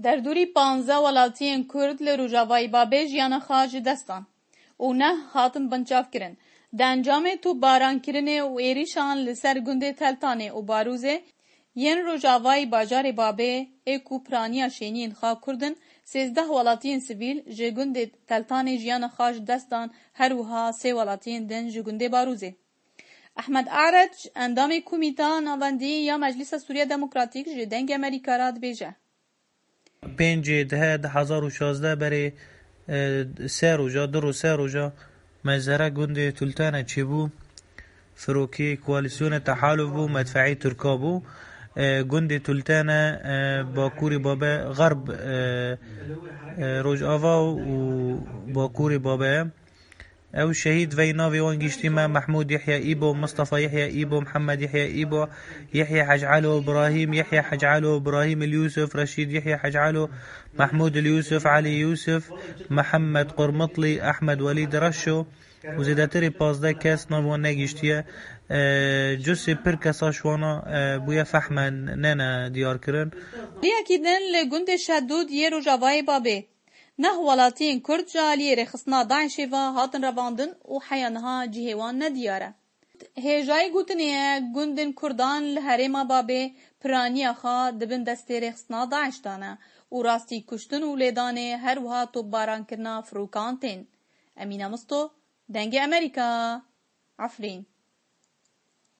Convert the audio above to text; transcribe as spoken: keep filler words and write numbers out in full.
Derdorî panzdeh welatiyên Kurd li Rojavayê Babê jiyana xwe ji dest dan û neh hatin binçavkirin. Di encamê topbarankirinê û êrîşan li ser gundê Teltanê û Barûzê yên rojavayî bajarê Babê ê ku piraniya şêniyên xwe Kurd in, sêzdeh welatiyên sivîl ji gundê Teltanê jiyana xwe ji dest dan, her wiha sê welatiyên din ji gundê Barûzê. Ehmed Areç, endamê Komîta Navendî ya Meclisa Sûriya Demokratîk ji Dengê Amerîka re dibêje. Pêncê dehê du hezar û şazdeh berê, e, sê roja, du roj, sê roja mezhera gundê Tultane çêbû. Firokê koalîsyonê Tehaluf bû, medfeî Tirka bû. E, gundê Tultane, e, Bakurê Babe, Xerb, e, e, Rojava û Bakurê Babe. Ew şehîd vey navê wan giştî me: Mehmûd Yehya Îbo, Mistefa Yehya Îbo, Mihemed Yehya Îbo, Yehya Hec Elo, Birahîm Yehya Hec Elo, Birahîm El Yûsif, Reşîd Yehya Hec Elo, Mehmûd El Yûsif, Elî Yûsif, Mihemed Qurmitli, Ehmed Welîd Reşo û zêdetirê pazdeh kes nav wan negiştiye. E, Cusê pir kesa ji wana, e, bûye fehme nene diyarkirin. Aliyekî din li gundê Şedûd yê Rojavayê Babê. Neh welatiyên Kurd ji aliyê rêxistina DAIŞê ve hatin revandin û heya niha cihê wan nediyar e. Hêjayî gotinê ye, gundên Kurdan li herêma Babê piraniya xwe di bin destê rêxistina DAIŞ de ne û rastî kuştin û lêdanê, her wiha topbarankirina firokan tên. Emîne Misto, Dengê Amerîka, Efrîn.